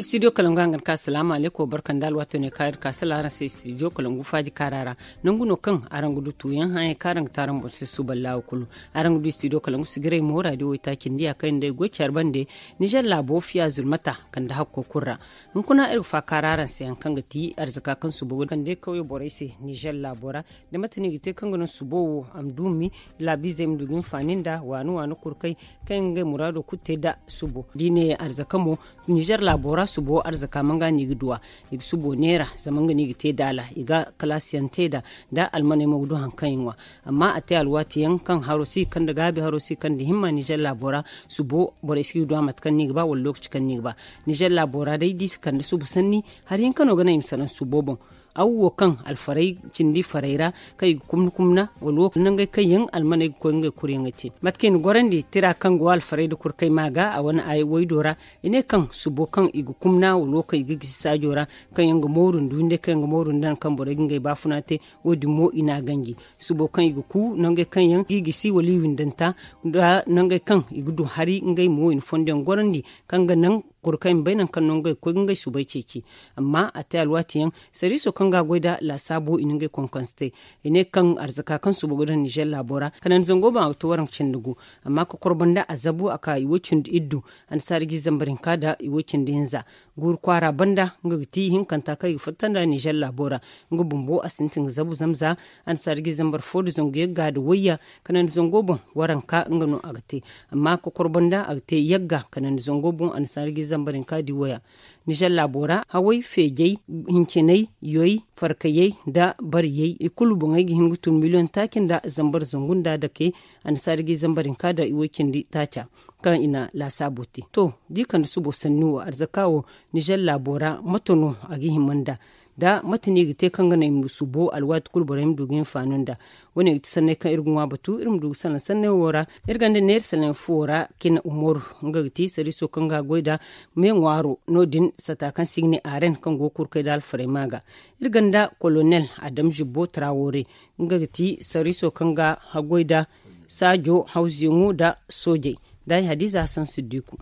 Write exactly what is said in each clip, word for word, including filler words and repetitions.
Studio kalangu hangan ka salaamu aleykum barka nda alwaato ne kaari ka sala araŋ se studio kalangu faaji kaara ra. Nangu no kaŋ araŋ ga du tuuyaŋ haŋ yaŋ kaŋ araŋ ga te araŋ boŋ se suuban laawa kulu. Araŋ ga du studio kalangu sigiray mo radio waytaaci nda ya kaŋ yaŋ day goy care bande. Nizer laabo fiya zulmata kande hakko kulu ra. Hunkuna iri ga faakaara araŋ se haŋ kaŋ ga ti arzaka kaŋ suubo ga kande kawyo borey se nizer laabo ra. Da mate no i ga te kaŋ ga naŋ suubo wo a ma duumi laabiizey ma du ga hinfaani nda waani waani kurkey kaŋ yaŋ ga ngey muraado kulu te nda suubo da i ne arzaka mo. Nizer laabo ra suubo arzaka manga no i ga duw'a. I ga suubo neera zama nga no i ga te daala i ga kalaasiyaŋ te nd'a. Da almaney mo ga du haŋ kaŋ i ŋwa. Amma a te alwaati yaŋ kaŋ haro si ga kande gaabi haro si ga kande himma nizer laabo ra. Suubo borey si ga duw'a mate kaŋ no i ga ba wala lookaci kaŋ no i ga ba. Nizer laabo ra day da i si kande suubo sanni hari hinka no ga naŋ i ma salaŋ suubo boŋ. Aw wo kaŋ alfaray cindi faray ra kaŋ i ga kumna kumna wala wo nangey kaŋ yaŋ almaney ga koy ngey kuryaŋey te mate kaŋ i na gorandi tira kaŋ go alfaray nda kurkay ma ga a wane ay waydo ra. I ne kaŋ suubo kaŋ i ga kumna wala wo kaŋ i ga gisi saajo ra kaŋ yaŋ ga mooru nda windey kaŋ yaŋ ga mooru nda nangu kaŋ borey ga ngey baafuna te. Wo- din mo i n'a ganji suubo kaŋ i ga ku nangey kaŋ yaŋ ga i gisi wala i windanta nda nangey kaŋ i ga du hari ngey mo i na fondo yaŋ gorandi kaŋ ga naŋ kuru kaŋ i ma bay nangu kaŋ no ngey ga koy ga ngey suubay ceeci. Amma a te alwaati yaŋ sariiso kaŋ ga a goy nd'a laasaabo i na ngey konkonse te. I ne kaŋ arzaka kaŋ suubo ga daŋ nizer laabo ra kanandi zango boŋ a ga to waranka cindi gu. Amma kokoro banda a zabu a ka i woy cindi iddu annasaara ga i zambar hinka nda i woy cindi hinza. Guuru kwaara banda nga ga ti hinkanta kaŋ i ga fatta nda nizer laabo ra. Nga bumbo a sintin ga zabu zama za annasaara ga i zambar fo nda zangu yagga nda wayya kanandi zango boŋ waranka nga no a ga te. Amma kokoro banda a ga te yagga kanandi zango boŋ annasaara ga i zambar hinka nda i waya. Nizer laabo ra haway feejay hincinay yoy farkayey nda bariyey i kulu boŋey ga hin ga tun miliyoŋ taaci nda zambar zangu nda dake. Annasaara ga i zambar hinka nda i woy cindi taaca kaŋ i na laasaabo te to da i kande suubo sanni wo arzaka wo nizer laabo ra mate no a ga hima nda da mate no i ga te kaŋ ga naŋ i ma suubo alwaati kulu borey ma du ga hinfaani nda. Wo- ne ga ti sanney kaŋ iri ga ŋwa batu iri ma du ga salaŋ sanney wo ra. Iri ganda neera salaŋ fuwo ra cine umaru nga ga ti sariiso kaŋ ga a goy nda me ŋwaaro no- din sata kaŋ se i ga ne aren kaŋ go ga kurkay nda alfarayma ga. Iri ganda kolonel adam zibbo trawore nga ga ti sariiso kaŋ ga haggoy nda saajo hawzuyaŋo nda soojey. Nda ay hadiza hasan siddiku.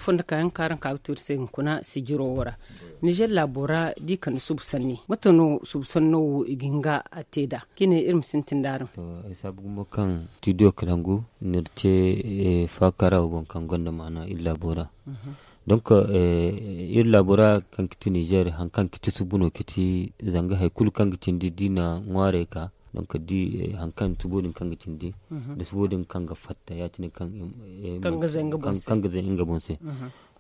Fondo kayaŋ kaŋ araŋ ka ga tuuri se hunkuna sijiro wo ra. Nizer laabo ra da i kande subu sanni mate no subu sanno wo i ga hin ga a te nd'a? Cine iri ma sintin nd'araŋ. To ay saabu gumo kaŋ studio kalangu ni iri te faakara wo boŋ kaŋ gonda maana iri laabo ra. Donc iri laabo ra kaŋ ga ti nizer hari kaŋ ga ti subu no ga ti zanga hari kulu kaŋ ga cindi da i na ŋwaarey ka donc da hari kaŋ subo din kaŋ ga cindi da subo din kaŋ ga fatta ya- cine kaŋ ga zay nga boŋ se.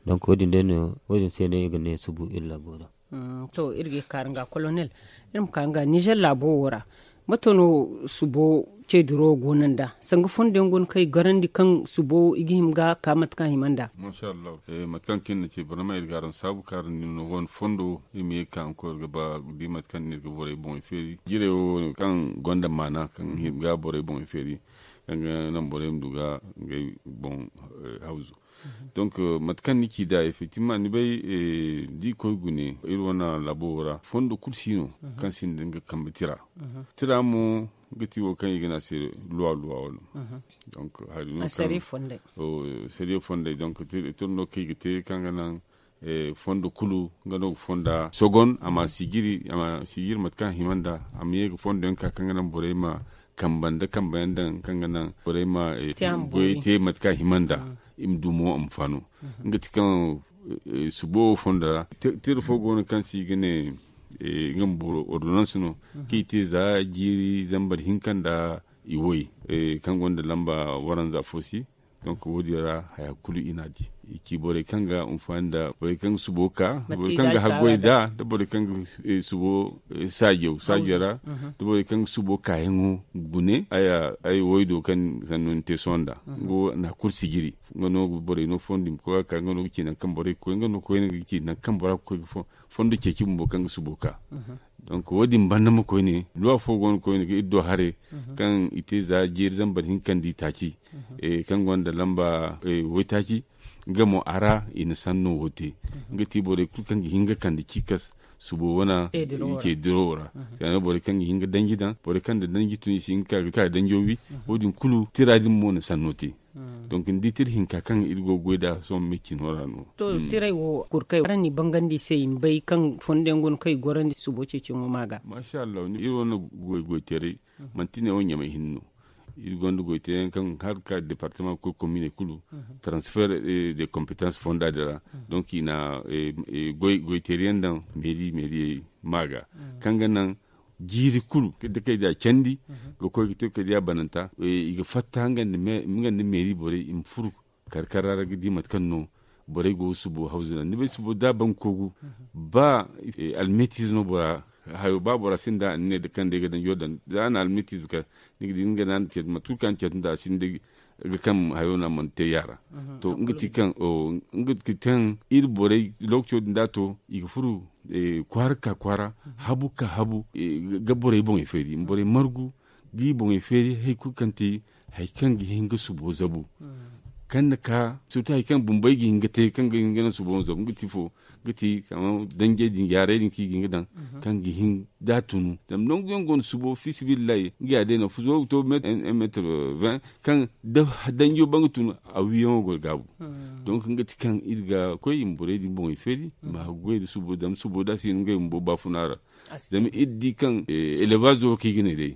Donc wo- din day no wo- din se no i ga ne subu iri laabo ra. To iri ga ye ga kaaru nga kolonel iri ma ka nga nizer laabo wo ra mate no subo ceediro go no nd'a sanga fondo yaŋ go no kaŋ i garandi kaŋ subo i ga hima ga ka mate kaŋ a hima nd'a. Mate kaŋ kaŋ iri na ce barama iri ga araŋ saabu kaarandi no wane fondo iri ma ye ga ka hunkuna iri ga ba da mate kaŋ no iri ga borey boŋey feeri jirey wo kaŋ gonda maana kaŋ ga hima ga borey boŋey feeri kaŋ ga naŋ borey ma du ga ngey boŋ hawzu. Donc mate kaŋ ni ci nd'a effectivement ni bay da i koy gune iri wane laabo wo ra fondo kulu si no kaŋ sinda nga kambe tira. Tira mo ga ti wo kaŋ i ga ne a se luwa luwa wala donc hari no kaŋ sariya fondey donc tira no kaŋ i ga te kaŋ ga naŋ fondo kulu nga no ga fonda sogon a ma sijiri mate kaŋ a hima nd'a a ma ye ga fondo yaŋ ka kaŋ ga naŋ borey ma kamba nda kamba yaŋ daŋ kaŋ ga naŋ borey ma goyey te mate kaŋ a hima nd'a i ma du mo a ma faano. Nga ti kaŋ subo wo fondo ra tira fo go no kaŋ se i ga ne nga ma boro ordonnance no kaŋ i te za jiiri zambar hinka nda i woy kaŋ gonda lamba waranza fo si. Donc wo- din ra haya kulu i n'a di i ci borey kaŋ ga hinfaani nda borey kaŋ ga subo ka borey kaŋ ga haggoy nd'a da borey kaŋ ga subo saajo saajo ra da borey kaŋ ga subo kaayaŋo gune ay woy do kaŋ sanno ni te sohõ nd'a nga wo n'a kulu sijiri nga no ga borey no fondo i ma koy ga ka nga no ga ci nangu kaŋ borey ga koy nga no koyne ga ci nangu kaŋ bora ga koy ga fondo ceeci bumbo kaŋ ga subo ka. Donc wo- din banda ma koyne luwa fo go no koyne ga iri do haray kaŋ i te za jeeri zambar hinka nda itaaci kaŋ gonda lamba waytaaci nga mo a ra i na sanno wo te. Nga ti borey kulu kaŋ ga hin ga kande ciikas subo wana i ce dirawo ra. Kala borey kaŋ ga hin ga danji daŋ, borey kaŋ da danji tun i si hin ga ka danjo wi. Wo- din kulu tira din mo na sanno te. Donc ni di tira hinka kaŋ iri go ga goy nd'a sohõ me cino ra no. To, tiray wo kurkay araŋ n'i bangandi i se i ma bay kaŋ fondo yaŋ go no kaŋ i gorandi subo ceeciyaŋo ma ga. Masha Allah, iri wane goy goy tiray manti ne wo ɲamay hinne no. Iri gonda goy teyaŋ kaŋ har ga ka departement ga koy komine kulu, transfer de competence fonda din ra. Donc i na goy teeri yaŋ daŋ meeri meeriyey ma ga, kaŋ ga naŋ jiiri kulu da kay da candi ga koy ga te kay da bananta. I ga fatta nga nda meeri borey i ma furu karkara ra ga di mate kaŋ no borey go ga subo hawzu naŋ ni bay subo da a ban ga kogu. Ba almetiize no bora hayo ba bora sinda a ne da kaŋ day ga danjo daŋ da a na almetiize ka ni ga di nga na a na ceetu mate kulu kaŋ a na ceetu nda a sinda ga kaŋ hayo no a mana te yaara. To nga ti kaŋ iri borey lokaco din da a to i ga furu kwaara ka kwaara habu ka habu ga borey boŋey feeri ma borey margu ga i boŋey feeri hari kulu kaŋ ti hari kaŋ ga hin ga subo zabu. Kaŋ na ka surtu hari kaŋ bumbey ga hin ga te kaŋ ga hin ga naŋ subo zabu nga ti fo ga ti kama danjey din yaaray din kaŋ i ga hin ga daŋ kaŋ ga hin da a tunu zama nangu yaŋ go no subo fiisabilillahi nga ya day no fuzo ga to meetar vingt kaŋ da danjo ban ga tunu a wiyaŋo go ga gaabu. Donc nga ti kaŋ iri ga koy i ma borey din boŋey feeri ma goy nda subo zama subo da a si no ngey bumbo baafuna ra. Zama iri di kaŋ elebaazo wo kaŋ i ga ne day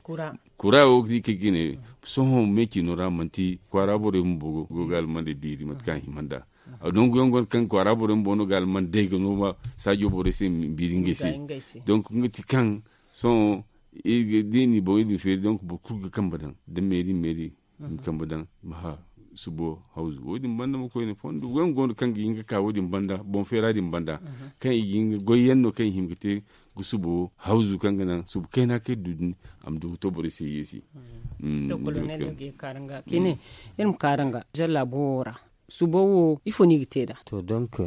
kura wo kaŋ i ga ne sohõ meecino ra manti kwaara borey bumbo go ga almaney biiri mate kaŋ a hima nd'a. Nangu yaŋ go no kaŋ kwaara borey bumbo no ga alman day ga no ma saajo borey se biiri ngey se. Donc nga ti kaŋ sohõ da i n'i boŋey din feeri donc boro kulu ga kambe daŋ da meeri meeri i ma kambe daŋ i ma hã subo hawzu wo- din banda ma koyne fondo wayaŋ go no kaŋ ga hin ga ka wo- din banda boŋ feera din banda kaŋ i ga hin ga goy yaŋ no kaŋ i hima ga te ga subo hawzu kaŋ ga naŋ subo kayna kaŋ iri du din a ma du ga to borey se yeesi. To kolonel no ga ye ga kaara nga kine iri ma kaara nga zalla boro wo ra subo wo ifo no i ga te nd'a? To donc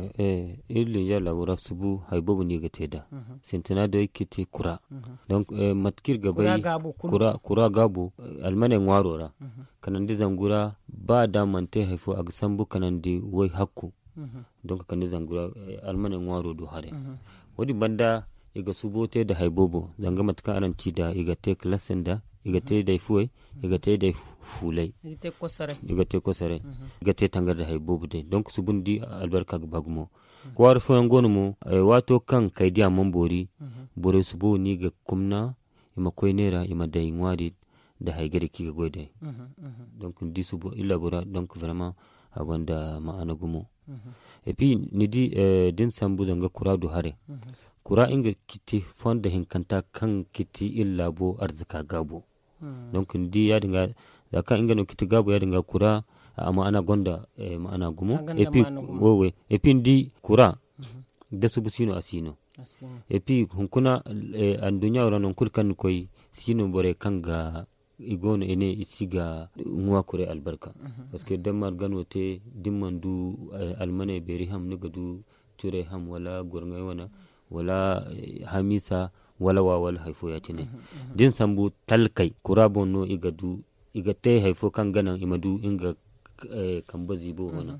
iri linzeer laabo ra subu hari boobo no i ga te nd'a. Sintina day kaŋ i ga te kura. Donc mate kaŋ iri ga bay kura gaabo almaney ŋwaaro ra kanandi zangu ra ba da a mana te hari fo a ga sambu kanandi way hakku. Donc kande zangu ra almaney ŋwaaro du haray. Wo- din banda i ga subo te nda hari boobo zanga mate kaŋ araŋ ci nd'a i ga te kalase nda i ga te day fuwey i ga te day fuulay i ga te kosoray i ga te tangar nda hari boobo day donc subu ni di albarka ga ba gumo. Kwaara fooyaŋ go no mo waato kaŋ kay diya mana boori borey subo no i ga kumna i ma koy neera i ma day ŋwaari nda hari gari kaŋ i ga goy day. Donc ni di subo iri laabo ra donc vraiment a gonda ma'ana gumo. Et puis ni di da ni sambu zanga kura du haray kura nga ga ti fondo hinkanta kaŋ ga ti iri laabo arzaka gaabo. Donc ni di ya- din ga za kaŋ nga no ga ti gaabo ya- din ga kura a ma'ana gonda ma'ana gumo. Et puis ni di kura da subu si no a si no. Et puis hunkuna anduɲɲa wo ra nangu kulu kaŋ ni koy si no borey kaŋ ga i go no i ne i si ga ŋwa kuray albarka. Parce que da ni mana gano te da ni mana du almaney beeri ham ni ga du turay ham wala gorŋay wane wala hamiisa wala wa wala hari fo ya- cine. Da ni sambu talkey kura boŋ no i ga du i ga te hari fo kaŋ ga naŋ i ma du nga kambe ziibo wane.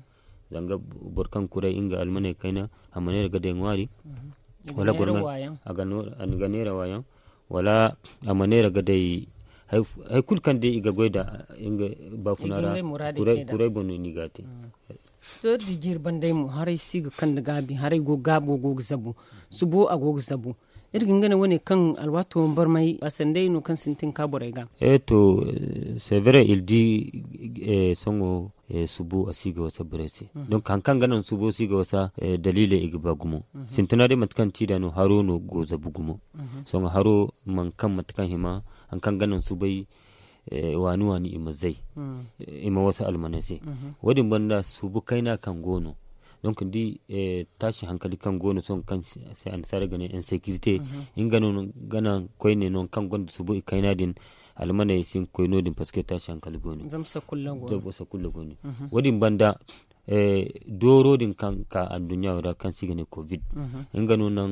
Zanga boro kaŋ kuray nga almaney kayna a ma neera ga day ŋwaari wala gorŋay a ga neera waayaŋ wala a ma neera ga day hari kulu kaŋ day i ga goy nda nga baafuna ra kuray boŋ no ni ga a te. To iri di jiiri banday mo haray si ga kande gaabi haray go gaabo go ga zabu subo a go ga zabu. Iri ga hin ga ne wane kaŋ alwaato barmay a sanday no kaŋ sintin ka borey ga. E to severe iri di sohõ subo a si ga wasa borey se. Donc hari kaŋ ga naŋ subo si ga wasa daliiley i ga ba gumo. Sintina day mate kaŋ ti da no haro no go zabu gumo. Sohõ haro mana kaŋ mate kaŋ hima hari kaŋ ga naŋ subay waani waani i ma zay i ma wasa almaney se. Wo- din banda subu kayna kaŋ go no donc ni di taasi hankali kaŋ go no sohõ kaŋ se annasaarey ga ne insécurité nga no ga naŋ koyne no kaŋ gonda subu i kayna din almaney si hin ga koy no- din parce que taasi hankali go no. Zama sakulla go no. Wo- din banda dooro din kaŋ ka anduɲɲa wo ra kaŋ se i ga ne covid nga no naŋ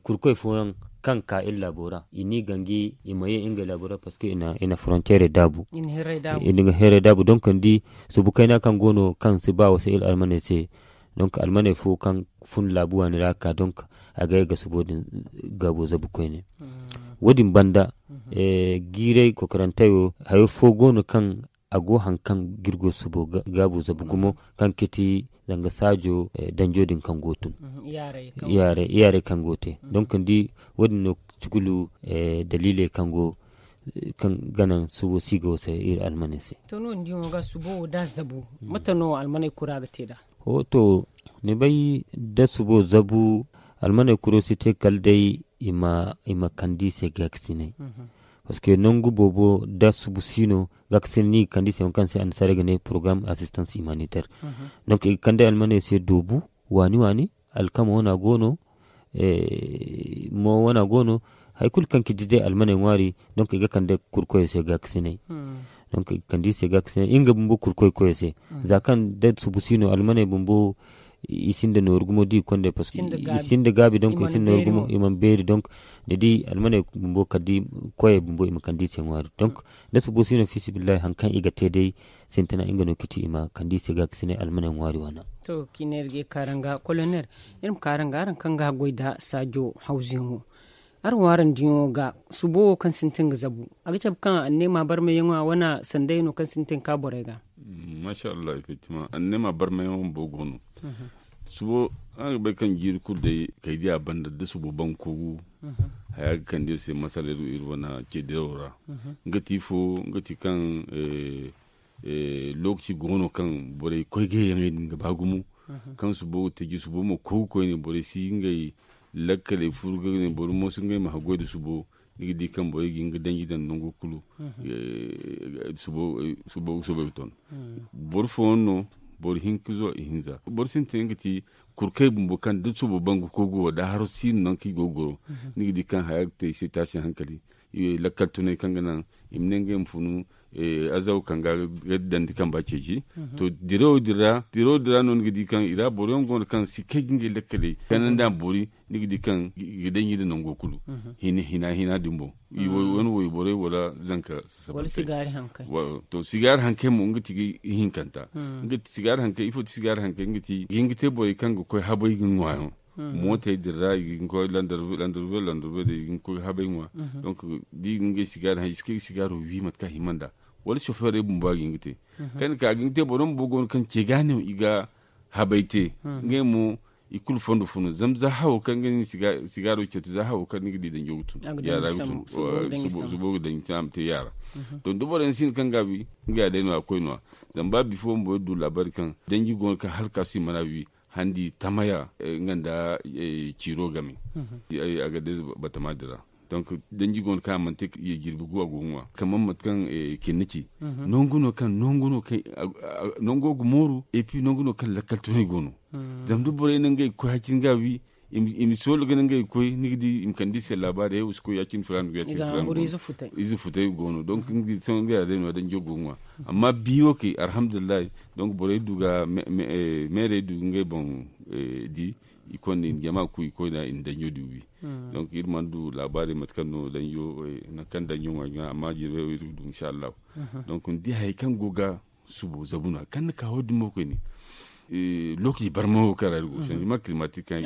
kurkoy fooyaŋ kaŋ ka iri laabo ra i n'i ganji i ma ye ngey laabo ra parce que i na frontière daabu i na nga heeray daabu donc ni di subu kayna kaŋ go no kaŋ si ba wasa iri almaney se. Donc almaney fo kaŋ fun laabu waani ra ka donc a ga ye ga subo din gaabo zabu koyne. Wo- din banda, jiiray kokorantey wo hayo fo go no kaŋ a go hari kaŋ ga iri go subo gaabo zabu gumo, kaŋ ga ti danga saajo danjo din kaŋ go tun, iyaarey kaŋ go te. Donk ni di, wo- din no, kulu daliiley kaŋ go kaŋ ga naŋ subo si ga wasa iri almaney se. To no ni di wo ga subo wo da zabu, mate no almaney kura ga te nd'a? To, ni bay, da subo zabu, almaney kuro si te kala day i ma kande i se gaakasinay. Parce que nangu boobo da subu si no, gaakasinay no i ga kande i se, wo kaŋ se annasaarey ga ne porogaram asistans humanitaire. Donk i ga kande almaney se doobu waani waani, alkama wana go no, mo wana go no, hari kulu kaŋ ga di day almaney ŋwaari. Donk i ga kande kurkoyo se gaakasinay. Donk i ga kande i se gaakasinay nga bumbo kurkoy koyo se. Za kaŋ da subu si no, almaney bumbo i sinda nooru gumo da i ga konda, parce que i sinda gaabi, donk i sinda nooru gumo, i mana beeri. Donk ni di, almaney bumbo kala da koyey bumbo i ma kande i se ŋwaari. Donk da subo si no, fiisibillahi, hari kaŋ i ga te day sintina, nga no ga ti i ma kande i se gaakasinay almaney ŋwaari wana. To, kineeri ga ye kaaranga kolonel, iri ma kaaranga araŋ kaŋ ga goy nda saajo hawzuyaŋo. Araŋ wo araŋ diyaŋo ga subo wo kaŋ sintin ga zabu, a ga cabe kaŋ anneema barmayyaŋo a wane sanday no kaŋ sintin ka borey ga? Masha Allah, effectivement, anneema barmayyaŋo bumbo go no. Subo, araŋ ga bay kaŋ jiiri kulu day kay diya banda da subo bangu kogu, haya ga kande iri se masala iri wane ce dirawo ra. Nga ti ifo? Nga ti kaŋ lookaci go no kaŋ borey koy gayyaŋey din ga ba gumo, kaŋ subo ga taji, subo ma kogu koyne, borey si ngey lakkaley furu ga ne boro mo si ngey ma haggoy nda subo. Ni ga di kaŋ borey ga hin ga danji daŋ nango kulu. Subo ga soobay ga ton. Boro fooyaŋ no, boro hinka zuwa ihinza. Boro sintin nga ti kurkey bumbo kaŋ da subo bangu kogu wo da haro si no nangu kaŋ i go ga goro. Ni ga di kaŋ haya ga te i se taasi hankali. Lakkal tunay kaŋ ga naŋ i ma ne ngey ma funu azaw kaŋ ga dandi kamba ceeci. To, dirawo din ra, dirawo din ra no ni ga di kaŋ i ra boro yaŋ go no kaŋ si kay ga ngey lakkaley kanandi a ma boori. Ni ga di kaŋ i ga danji nda nango kulu. Hina hina din boŋ, i wo wane wayborey wala zanka sasabantey. To, sigaari hankey mo nga ti ga hinkanta. Nga ti sigaari hankey, ifo ti sigaari hankey? Nga ti ga hin ga te borey kaŋ ga koy habay ga ŋwa yaŋ. Mootey din ra i ga hin ga koy landarbe landarbe day i ga hin ga koy habay ŋwa. Donk da i ga ngey sigaari haŋ i si kay ga sigaaro wi mate kaŋ a hima nd'a. Wala sofeerey bumbo a ga hin ga te. Kaŋ ni ka a ga hin ga te boro bumbo go no kaŋ ce ga no i ga habay te. Ngey mo i kulu fondo fo no zama za hawo kaŋ ga ni sigaaro ceetu za hawo kaŋ ni ga di danjo ga tun. Yaara ga tun. Subo ga daŋ a ma te yaara. To da boro yaŋ si no kaŋ ga a wi, nga ya day no a koy no ya. Zama ba bifo bumbo iri du laabaari kaŋ danji go no kaŋ hala ka si mana wi handi tamaya nga nda ciiro game. A ga day batama din ra. Donk danji go no kaŋ a mana te ye jirbi gu a go ga ŋwa kamar mate kaŋ kinni ci. Nangu no kaŋ nangu no kaŋ nango ga mooru epi nangu no kaŋ lakkal tunay go no. Zama da borey na ngey ga koy hacin ga wi i ma soolo ga na ngey ga koy ni ga di i ma kande i se laabaari ay wo si koy ya- cine filaana go ya- cine filaana go no. Ize futay go no donk nga di sohõ nga ya day no ya danjo go ga ŋwa. Amma biyo kay alhamdulillahi. Donk borey du ga meerey du ga ngey boŋ di i konda i na jama ku i koyna i na danjo di wi. Donk iri mana du laabaari mate kaŋ no danjo nangu kaŋ danjo ŋwa ga amma jirbey wo iri ga du inshallahu. Donk ni di hayey kaŋ go ga subo zabu no ya kaŋ ni ka wo- din mo koyne. Lookaci barma wo kaŋ ra iri go sanjima kilimatik kaŋ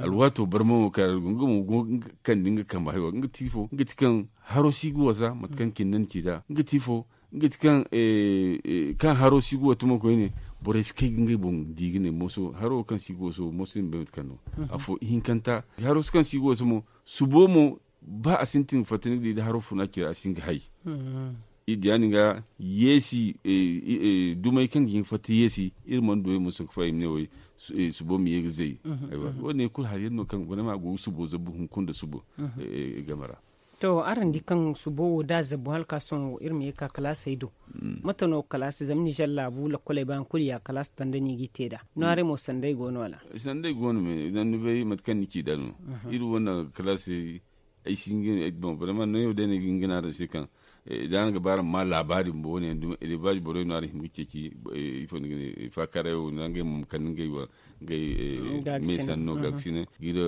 alwaato barma wo kaŋ ra iri go nga mo go ga kande nga kambe haywa nga ti ifo nga ti kaŋ haro si ga wasa mate kaŋ kinne ni ci nd'a nga ti ifo? Nga ti kaŋ haro si ga wata mo koyne borey si kay ga ngey boŋ di ga ne mooso haro kaŋ si ga waso mooso ni bay mate kaŋ no. Afo ihinkanta haro kaŋ si ga waso mo subo mo ba a sintin ga fatta ni ga di da haro funa cira a si hin ga hay. Iri di ya- din ga yeesi dumey kaŋ ga hin ga fatta yeesi iri mana du ay ma sohõ ga fa i ma ne way subo ma ye ga zay. Wo- din kulu hari yaŋ no kaŋ vraiment a go ga subo zabu hunkuna nda subo game ra. To araŋ di kaŋ subo wo da a zabu hala ka sohõ iri ma ye ga ka kalaasey do. Mate no kalaasi zama nizer laabu lakkoley ba hari kulu ya kalaasi tanda no i g'i te nd'a no haray mo sanday go no wala? Sanday go no me zama ni bay mate kaŋ ni ci nd'a no iri wane kalaasey. Ay si hin ga ne ay boŋ vraiment nango day no ay ga hin ga ne araŋ se kaŋ da araŋ ga ba araŋ ma laabaari bumbo wo- ne yaŋ dumi elebaaz borey no araŋ hima ga ceeci. Ifo ni ga ne faakaaray wo no ngey mo ma kande ngey me sanno gaakasine ga iri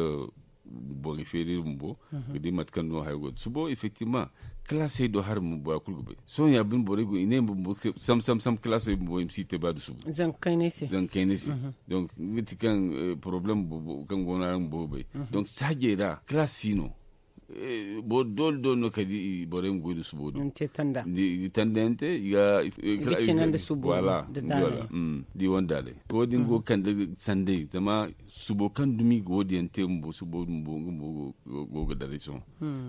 Borey feeri iri bumbo ga di mate kaŋ no hayo go da subo effectivement. Kalaasey do hari bumbo bora kulu ga bay sohõ ya bine borey go i ne bumbo sam sam sam kalaasey bumbo i ma si te ba da subo. Zankayney se. Donc nga ti kaŋ problème boobo kaŋ go no araŋ boobo bay. Donc saajey ra kalaasi no. Doole doole no kala da borey ma goy da subo din. Tanda yaŋ te i ga cinandi subo. Wala da i wanda daaley wo- din go ga kande sanday zama subo kaŋ dumi ga wo- din yaŋ te bumbo subo bumbo nga bumbo go ga daray sohõ.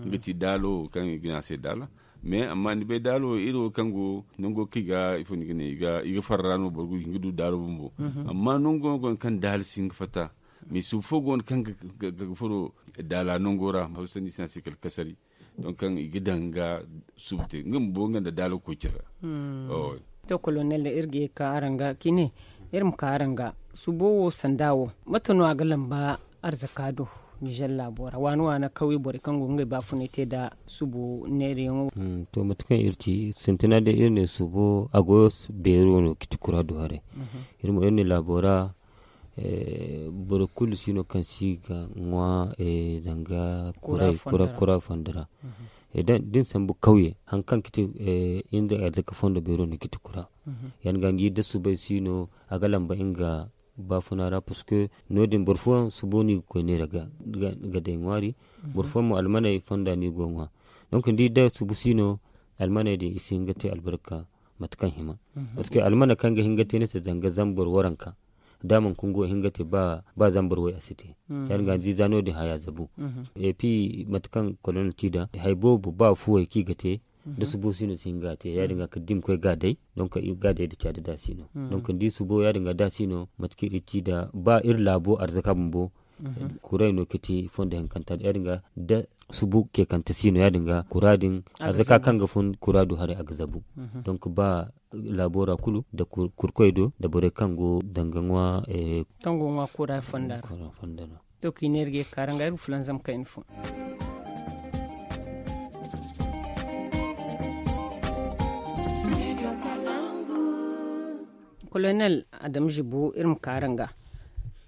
Nga ti daalo kaŋ i ga ne a se daala. Mais amma ni bay daalo wo iri wo kaŋ go nango kaŋ i ga ifo ni ga ne i ga farra no boro ga hin ga du daalo bumbo. Amma nango no go no kaŋ daala si hin ga fatta. Mais subu fo go no kaŋ ga furo daala nango ra ma haw sanni si no a se kala kasari. Donc kaŋ i ga daŋ ga subu te nga bumbo nga nda daalo koy care ra. To kolonel iri ga ye ga ka araŋ ga cine. Iri ma ka araŋ ga subo wo sanda wo mate no a ga lamba arzaka do? Nizer laabo ra waana waana kawye borey kaŋ go ga ngey baafunay te nda subo neerayaŋo. To mate kaŋ iri ci sintina day iri ne subo a goyo beero no ga ti kura du haray. Iri mo iri ne laabo ra boro kulu si no kaŋ si ga ŋwa danga kura fondo ra. Da ni sambu kawye hari kaŋ ga ti inda arzaka fondo beero no ga ti kura. Ya- din ga ni di da subay si no a ga lamba nga baafuna ra parce que no- din boro fooyaŋ subo no i ga koy neera ga day ŋwaari. Boro fooyaŋ mo almaney fonda no i go ga ŋwa. Donc ni di da subu si no almaney din i si hin ga te albarka mate kaŋ hima. Parce que almana kaŋ ga hin ga te ni se zanga zambar waranka da a mana kungu a hin ga te ba zambar way a si te. Ya- din ga ni di za no- din haya zabu. Et puis mate kaŋ kolonel ti nd'a hari boobo ba fuwey kaŋ i ga te da subo si no si hin ga a te ya- din ga kala da i ma koy ga a day. Donc i ga a day nda caadi da si no. Donc ni di subo ya- din ga da si no mate kaŋ iri ti nd'a ba iri laabo arzaka bumbo. Kuray no ga ti fondo hinkanta ya- din ga da subu keekante si no ya- din ga kura din arzaka kaŋ ga fun kura du haray a ga zabu. Donc ba laabo ra kulu nda kurkoy do nda borey kaŋ go danga ŋwa. Kaŋ go ga ŋwa kura fonda ra. To kaŋ i ne iri ga ye ga ka araŋ ga iri ga fulanzam kayna fo. Kolonel adama zibo iri ma ka araŋ ga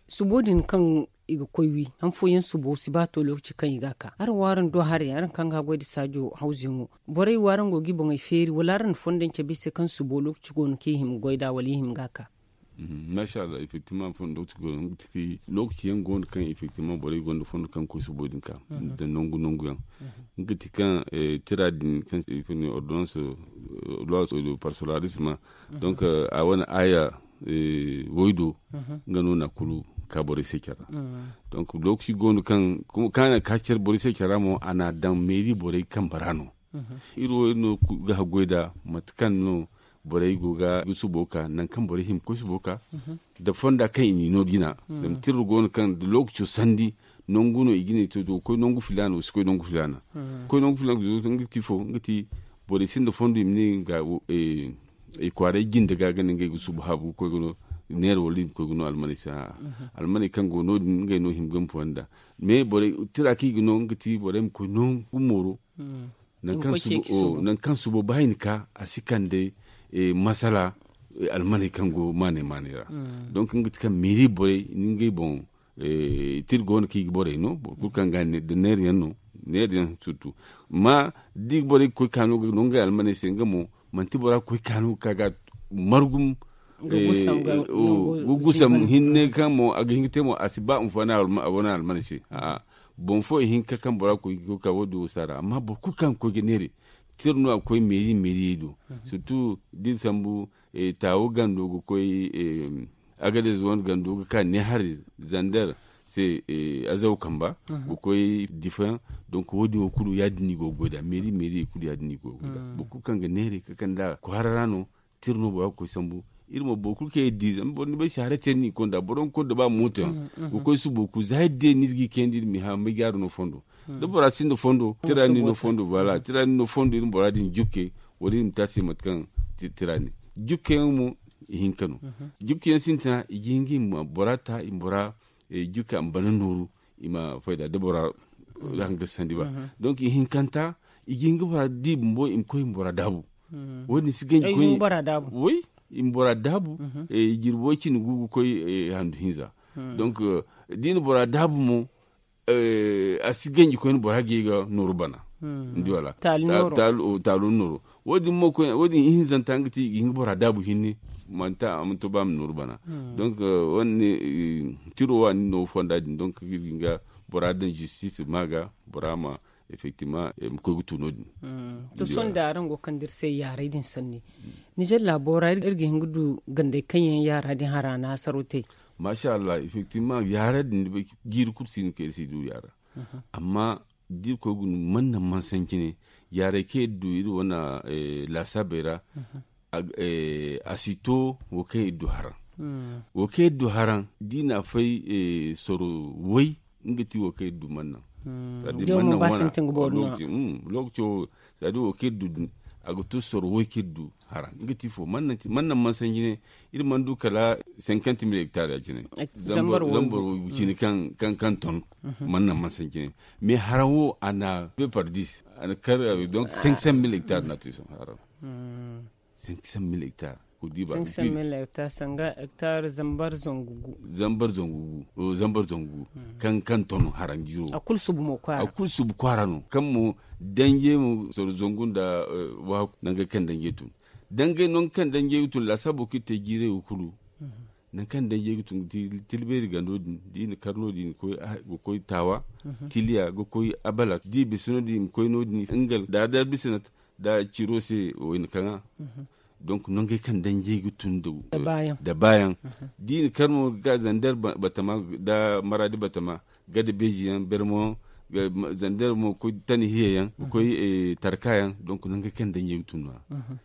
subo din kaŋ i ga koy wi han fooyaŋ subo si ba to lookaci kaŋ i ga a ka araŋ wo araŋ do haray araŋ kaŋ ga goy nda saajo hawzuyaŋo borey wo araŋ go ga i boŋey feeri wala araŋ na fondo yaŋ cabe i se kaŋ subo lookaci go no kaŋ i hima goy nd'a wala i hima ga a ka? Masha allah effectivement fondo lookaci go no nga ti lookaci yaŋ go no kaŋ effectivement borey gonda fondo kaŋ ga koy subo din ka nda nangu nangu yaŋ. Nga ti kaŋ tira din kaŋ i ga ne ordonnance loi parsolarisme. Donc a wane aya woy do nga no na kulu ka borey se care ra. Donc lookaci go no kaŋ kaŋ a na ka care borey se care ra mo a na a daŋ meeri borey kambe ra no. Iri wo iri no ga haggoy nd'a mate kaŋ no borey go ga subo ka nangu kaŋ borey hima ga koy subo ka nda fonda kaŋ i n'i no jina. Zama tira go no kaŋ da lookaco sandi nangu no i ga ne to ga koy nangu filaana wa si koy nangu filaana. Koy nangu filaana ga ti fo nga ti borey sinda fondo i ma ne nga i kwaaray jinde ga ga ne ngey ga subu haabu ga koy ga no neera wala i ma koy ga no almaney se a'a. Almaney kaŋ go no- din ngey no hima ga ma fonda. Mais borey tira kaŋ i ga no nga ti borey ma koy nangu mooro. Nangu kaŋ subo ba i na ka a si kande masala almaney kaŋ go maaney maaney ra. Donc nga ti kaŋ meeri borey ni ngey boŋ tira go no kaŋ i ga borey no boro kulu kaŋ ga da neera yaŋ no neera yaŋ surtout. Amma da i ga borey ga koy ka no ga no ngey almaney se nga mo manti bora ga koy ka no ga ka ga margum ga gusam hinne kaŋ mo a ga hin ga te mo a si ba nfana a wane almaney se. A'a boŋ fo ihinka kaŋ bora ga koy ga koy ka wo- din wo si a ra amma boro kulu kaŋ ga koy ga neera tira no a ga koy meeri meeriyey do. Surtout da iri sambu taawo gando ga koy agadez wane gando ga ka ne hari zander se azaw kamba ga koy difayaŋ. Donc wo- din wo kulu ya- din no i go ga goy nd'a meeri meeri kulu ya- din no i go ga goy nd'a boro kulu kaŋ ga neera ga kande a kwaara ra no. Tira no bora ga koy sambu iri mo boro kulu kaŋ iri di zama boro ni bay saare te no i konda boro ga konda ba mooto yaŋ ga koy subo kulu za iri di no iri ga i kayandi iri ma i hã may ga a ra no fondo. Da bora sinda fondo tira no i no fondo voilà tira no i no fondo iri ma bora din jukke wala iri ma te a se mate kaŋ tira ne. Jukke yaŋ mo ihinka no. Jukke yaŋ sintina i ga hin ga i ma bora ta i ma bora jukke a ma bana nooru i ma fayda da bora hanga sandi ba. Donc ihinkanta i ga hin ga bora di bumbo i ma koy i ma bora daabu. Wo- din si ganji koy way i ma bora daabu jirbi way cindi gu ga koy handu hinza. Donc da i na bora daabu mo a si ganji koyne bora ga ye ga nooru bana. Ni di wala? Taalo nooru. Wo- din ihinzanta nga ti i ga hin ga bora daabu hinne. Manti a ma to ba a ma nooru bana. Donc wane tiro waani no fonda din donc ga iri ga hin ga bora daŋ justice ma ga bora ma effectivement ma koy ga tu no- din. To sohõ da araŋ go ga kande iri se yaaray din sanni, nijar laabo ra iri ga hin ga du gandey kaŋ yaŋ yaara din hara naasaro te? Masha allah, effectivement yaara din jiiri kulu si hin ka iri si du yaara. Amma da iri koy ga du manna mansanci ne, yaaray kaŋ iri du iri wane laasaabey ra, a si to wo kaŋ iri du haraŋ. Wo kaŋ iri du haraŋ da i na a fay soro way, nga ti wo kaŋ iri du manna. Lokaci wo, sadi wo kaŋ iri du din, a ga to soro way kaŋ iri du haraŋ nga ti fo manna mansanji ne. Iri mana du kala cinquante mille hectares ya cine. Zambar wo cine kaŋ ton manna mansanji ne. Mais haraŋ wo a na deux par dix, a na kar donc cinq cent mille hectares na te son haraŋ. Cinq cent mille hectares ko di ba. Cinq cent mille hectares sanga hectare zambar zangu gu. Zambar zangu gu, zambar zangu gu. Kaŋ ton haraŋ jiro a kulu subu mo kwaara no kaŋ mo danje mo soro zangu nda wahaku nangey kaŋ danje tun. Dangey nangu kaŋ danje ga tun laasaabo kaŋ iri te jiirey wo kulu. Nangu kaŋ danje ga tun ga ti tilbeeri gando din da i na kar no- din ga koy taawa, tiliya ga koy abala da i bisa no- din i ma koy no- din nga da da bisa na da ciro se wayna kaŋa. Donc nangey kaŋ danjey ga tun da baayaŋ da i na kar mo ga ka zander batama da maraadi batama gada beeji yaŋ bermo zander mo ga koy tani hiya yaŋ ga koy tarka yaŋ donc nangey kaŋ danjey ga tun no- ya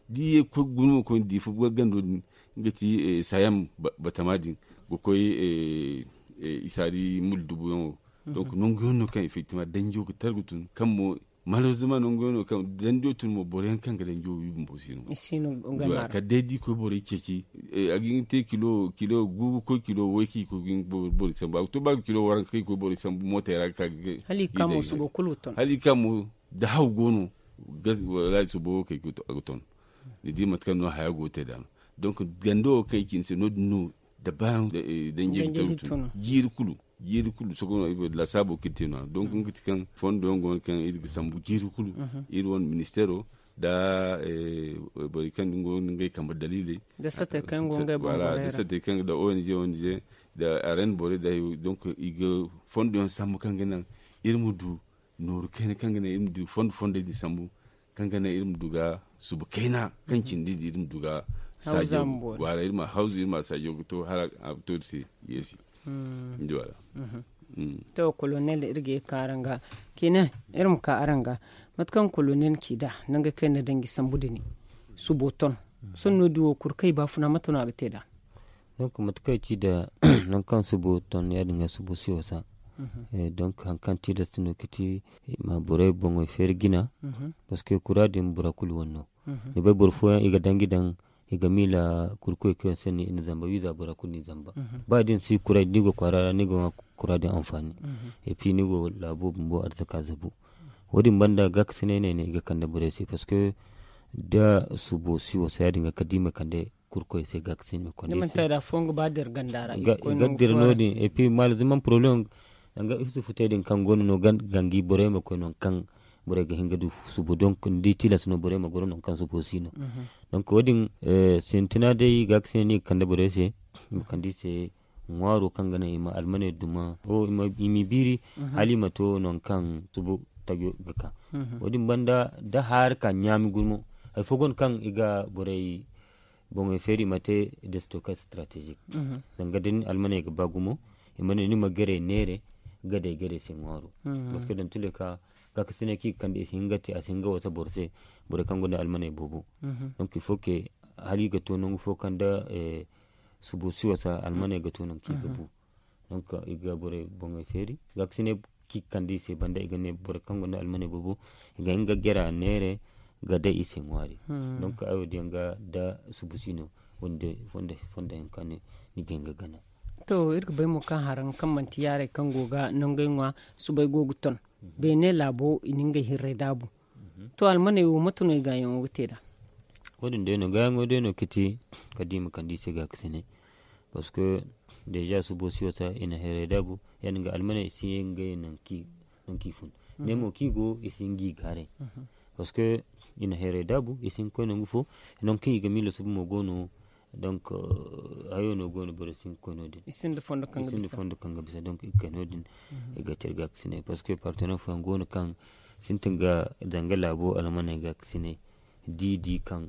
da i ye ga koy guna mo koy diifa gando din nga ti sayam batama din ga koy isaari mul dubu yaŋo. Donc nangu yaŋ no kaŋ effectivement danjo ga tar ga tun kaŋ mo malheureusement nangu yaŋ no kaŋ danjo tun mo boro yaŋ kaŋ ga danjo wi bumbo si no. Kala day da i koy borey ceeci a ga hin ga te kilo kilo gu ga koy kilo way kaŋ i koy ga hin ga borey sambu a ga to ba ga kilo waranka kaŋ i koy borey sambu mootey ra ga ka ga hala i ga ka mo subo kulu ga ton hala i ga ka mo da haw go no. Walahi subo wo kaŋ i ga ton ni di mate kaŋ no haya go ga te da no. Donc gando wo kaŋ i ci ni se no- din no da baayaŋ danjey ga tun jiiri kulu jiiri kulu sohõ no ay bay lasaabo kaŋ iri te no- ya donc nga ti kaŋ fondo yaŋ go no kaŋ iri ga sambu jiiri kulu iri wane ministeero da borey kaŋ go no ngey kambe daliiley da satey kaŋ go ngey boŋ da satey kaŋ da ong ong da aren borey da hayo donc i ga fondo yaŋ sambu kaŋ ga naŋ iri ma du nooru kayna kaŋ ga naŋ iri ma du fondo fondey din sambu kaŋ ga naŋ iri ma du ga suba kayna kaŋ cindi din iri ma du ga saajo wala iri ma hawzu iri ma saajo ga to hala a ga to iri se yeesi. Ni di wala? To kolonel iri ga ye ka araŋ ga kine iri ma ka araŋ ga mate kaŋ kolonel ci nd'a nangey kaŋ iri na danji sambu din subo ton sohõ no- din wo kulu kaŋ i baafuna mate no a ga te nd'a? Donc mate kaŋ i ci nda nangu kaŋ subo ton ya- din ga subo si wasa. Donc hari kaŋ tilas no ga ti i ma borey boŋey feeri jina. Parce que kura din bora kulu wane no ni bay boro fooyaŋ i ga danji daŋ i ga miila kurkoy kaŋ yaŋ se no i na zamba wiiza bora kulu no i zamba. Ba da ni si kuray da ni go kwaara ra ni ga ŋwa kura din anfaani. Et puis ni go laabo bumbo arzaka zabu. Wo- din banda gaakasinay no ay ne i ga kande borey se parce que da subo si wasa ya- din ga kala da i ma kande kurkoy se gaakasinay ma kande i se. Ga dira no- din et puis malheureusement problème danga isufu te din kaŋ go no no gangi borey ma koy nangu kaŋ borey ga hin ga du subo donc ni di tilas no borey ma goro nangu kaŋ subo si no. Donc wo- din sintina day gaakasinay no i ga kande borey se i ma kande i se ŋwaaro kaŋ ga naŋ i ma almaney duma i m'i biiri hala i ma to nangu kaŋ subo tajo ga ka. Wo- din banda da haari ka ɲaami gumo hari fo go no kaŋ i ga borey boŋey feeri i ma te de stockage stratégique. Zanga da ni almaney ga ba gumo i ma ne ni ma gere neere gadey gadey se ŋwaaro. Parce que dans tous les cas gaakasinay kaŋ i ga kande i si hin ga te a si hin ga wasa boro se borey kaŋ gonda almaney boobo. Donc il faut que hala i ga to nangu fo kaŋ da subo si wasa almaney ga to nangu kaŋ i ga bu. Donc i ga borey boŋey feeri gaakasinay kaŋ i ga kande i se banda i ga ne borey kaŋ gonda almaney boobo i ga hin ga gera neere ga day i se ŋwaari. Donc ay wo- din yaŋ ga da subu si no fondo hinka no ni ga hin ga gana. To iri ga bay mo kaŋ haraŋ kaŋ manti yaarey kaŋ go ga nangey ŋwa subay go ga ton beene laabo i na ngey hirrey daabu. To almaney wo mate no i gaayaŋo ga te nd'a? Wo- din day no gaayaŋo day no ga ti kala da i ma kande i se gaakasinay parce que déjà subo si wasa i na hirrey daabu. Ya- din ga almaney i si ye ngey nangu kaŋ i fun. Ne mo kaŋ i go i si hin ga i gaaray. Parce que i na hayray daabu i si hin ga koy nangu fo. Nangu kaŋ i ga miila suba mo go no. Donc hayo no go no borey si hin ga koy no- din. I sinda fondo kaŋ ga bisa donc i ga kay no- din. I ga te iri gaakasinay parce que partenaire fooyaŋ go no kaŋ sintin ga zanga laabo almaney gaakasinay, da i di kaŋ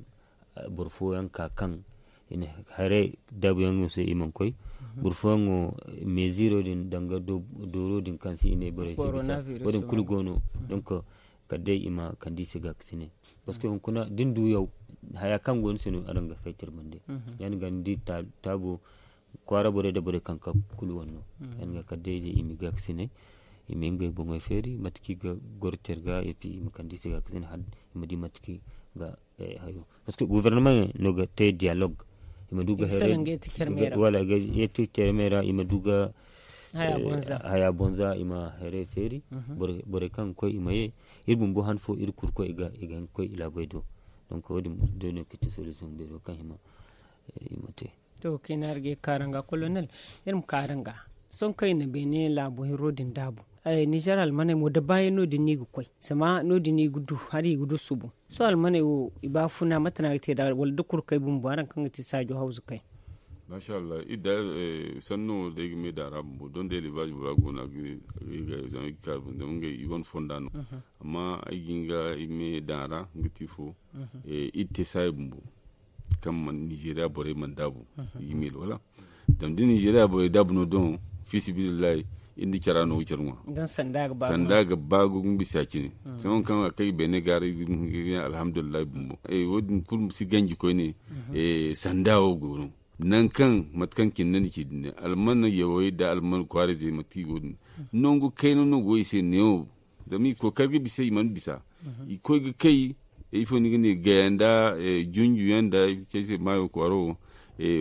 boro fooyaŋ ka kaŋ i na haray daabuyaŋo se i mana koy. Boro fooyaŋo meeziro din danga dooro din kaŋ se i ne borey se bisa wo- din kulu go no. Donc kala day i ma kande i se gaakasinay. Parce que hunkuna da ni du yaw haya kaŋ go ni se no araŋ ga faytar bande. Ya- din ga ni di taabo kwaara borey nda borey kaŋ ka kulu wane no. Ya- din ga kala day i ma i gaakasinay, i ma ngey boŋey feeri mate kaŋ i ga goro care ga et puis i ma kande i se gaakasinay hala i ma di mate kaŋ i ga hayo. Parce que gouvernement no ga te dialogue. I ma du ga hayray wala ga yeeti care me ra i ma du ga haya bonza i ma hayray feeri. Borey kaŋ ga koy i ma ye iri bumbo han fo iri kulu koy i ga hin ga koy i laabey do. Donc wo- din day no ga ti solution beero kaŋ i ma i ma te. To kayna iri ga ye ga kaaranga colonel, iri ma kaaranga sohõ kaŋ i na beene laabo hiro din daabu. Nizer almaney mo da baayaŋ no- din no i ga koy zama no- din no i ga du hari i ga du subu. Sohõ almaney wo i baafuna mate no a ga te nd'a wala da kurkey bumbo araŋ kaŋ ga ti saajo hawzu kay? Masha Allah iri da sanno wo day ga me daŋ a ra bumbo donde elevaazi bora go no a ga zama i ga kaari bumbo zama ngey i wane fonda no. Amma ay ga hin ga i me daŋ a ra nga ti fo iri te saaya bumbo kaŋ mana nizeeriya borey mana daabu. I ga miila wala zama da nizeeriya borey daabu no doŋ fi sabilillahi iri nda cara no ga care ŋwa. Sanda ga ba gumo bisa cine. Sohõ kaŋ a kay beene ga ra iri ga hin ga ne alhamdulillahi bumbo wo- din kulu si ganji koyne. Sanda wo go no nangu kaŋ mate kaŋ cine ni ci din ne alman yawey nda alman kwaarayzey mate kaŋ i go din nangu kayna no go i se neewo. Zama i kookari ga bisa i mana bisa i koy ga kay ifo ni ga ne gaya nda junju yaŋ nda cey se maayo kwaaro wo.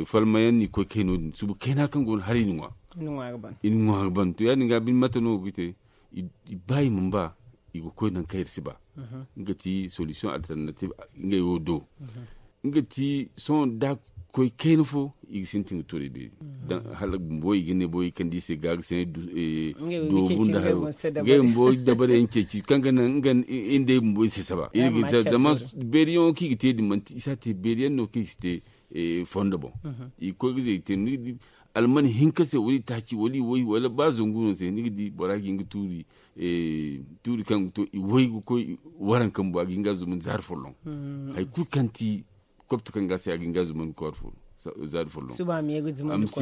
Falma yaŋ no i koy kay no- din suba kayna kaŋ go no hala i na ŋwa i na ŋwa ga ban to ya- din ga bine mate no go ga te. I ba i mana ba i ga koy nangu kaŋ iri si ba nga ti solution alternative ngey wo do. Nga ti sohõ da koy kayna fo i ga sintin ga tuurey beeri. Hala bumbo i ga ne boro i kande i se ga ga sene doobu nda hayo. Ngey bumbo dabare yaŋ ceeci kaŋ ga naŋ nga nda iri bumbo i si saba iri ga zama beeriyaŋo kaŋ i ga te din manti i si a te beeriyaŋ no kaŋ i si te fondo boŋ. I ga koy ga zay i te ni ga di alman hinka se wala i taaci wala i way wala ba zangu no se ni ga di bora ga hin ga tuuri tuuri kaŋ ga to i way ga koy waranka bumbo a ga hin ga a zumandi zaari folloŋ. Hari kulu kaŋ ti kopto kaŋ ga a se a ga hin ga a zumandi zaari folloŋ.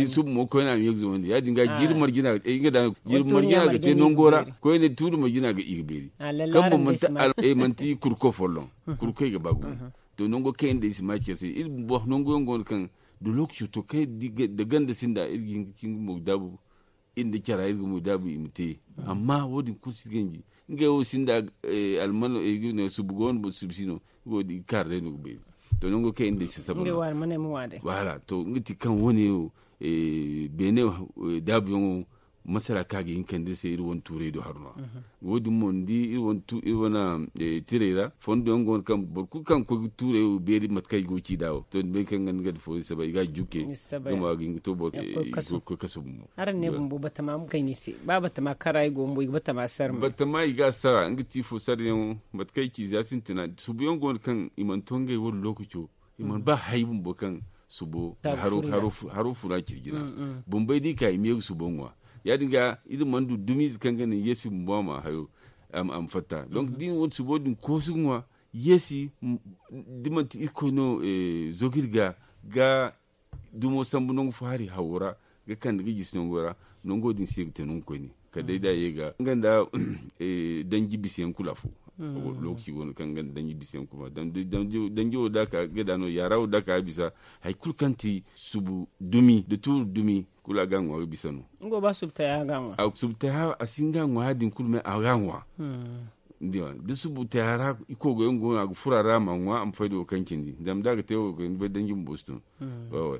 Suba mo koyne a ma ye ga zumandi ya- din ga jiiri marjina ga te nango ra koyne tuuri marjina ga i ga beeri. Kaŋ boŋ manti kurko folloŋ kurko i ga ba gumo. To nango kaŋ iri nda i si ma care se iri bumbo nango yaŋ go no kaŋ da lokaco to kaŋ da ganda sinda iri ga hin ga cin ga mo ga daabu. Iri nda cara iri ga mo daabu i ma te amma wo- din kulu si ganji ngey wo sinda almano suba go no suba si no. Nga wo- din i ga kaara day no ga beeri. To nango kaŋ iri nda i si saba no. Wala to nga ti kaŋ wo- ne wo beene daabuyaŋo masala kaŋ a ga hin kande iri se iri wane tuurey do hari no. Wo- din mo ni di iri wane tirey ra fondo yaŋ go no kaŋ boro kulu kaŋ ga koy ga tuurey wo beeri mate kaŋ i go ga ci nd'a wo to ni bay kaŋ nga ni ga da foori saba i ga a juke. Nga mo a ga hin ga to boro koy kasu bumbo. Araŋ ne bumbo batama ma kay ni se ba batama kara i go bumbo i ga batama sara. Batama i ga a sara nga ti fo sarayaŋo mate kaŋ i ci za sintina subuyaŋ go no kaŋ i mana to ngey wane lookaco. I mana ba hay bumbo kaŋ subo haro fura ciri jina. Bumbey da i ka i ma ye ga subo ŋwa ya- din ga iri mana du dumiize kaŋ ga naŋ yeesi bumbo a ma hayo a ma fatta donc da i na wane subo din koosu ga ŋwa. Yeesi da manti irkoy no zogiri ga ga dumo sambu nangu fo hari hawo ra ga kande ga jisi nango ra. Nango din se ga te nangu koyne kala day da a ye ga nga nda danji bisa yaŋ kulu afo. Lokaci go no kaŋ nga nda danji bisa yaŋ kulu ma danji wo da ka ga da no yaara wo da ka ga bisa hari kulu kaŋ ti subu dumi da tuuru dumi kulu a ga a ŋwa ga bisa no. Nga wo ba subu taya ga a ŋwa a subu taya a si hin ga a ŋwa ya- din kulu me a ga a ŋwa. Da subu te a ra i kogo yaŋ go no a ga furo a ra a ma ŋwa a ma fayda wo kaŋ cindi zama da a ga te wo ga ni bay danji ma bosu tun.